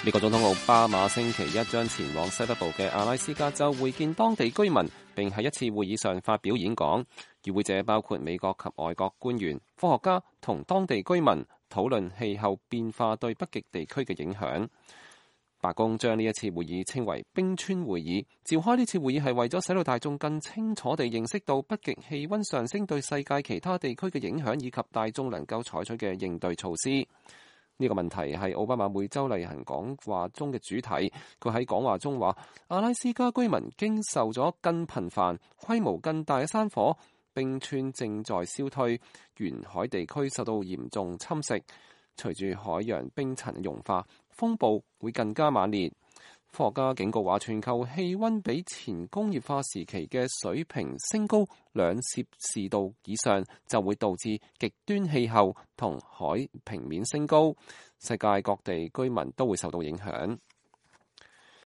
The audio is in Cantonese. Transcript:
美國總統奧巴馬星期一將前往西北部嘅阿拉斯加州會見當地居民，並喺一次會議上發表演講。與會者包括美國及外國官員、科學家同當地居民，討論氣候變化對北極地區嘅影響。白宮將呢一次會議稱為冰川會議，召開呢次會議係為咗使到大眾更清楚地認識到北極氣溫上升對世界其他地區嘅影響，以及大眾能夠採取嘅應對措施。呢個問題係奧巴馬每週例行講話中嘅主題。佢喺講話中話，阿拉斯加居民經受咗更頻繁、規模更大嘅山火，冰川正在消退，沿海地區受到嚴重侵蝕。隨住海洋冰層融化，風暴會更加猛烈。科學家警告話，全球氣溫比前工業化時期嘅水平升高2攝氏度以上，就會導致極端氣候同海平面升高，世界各地居民都會受到影響。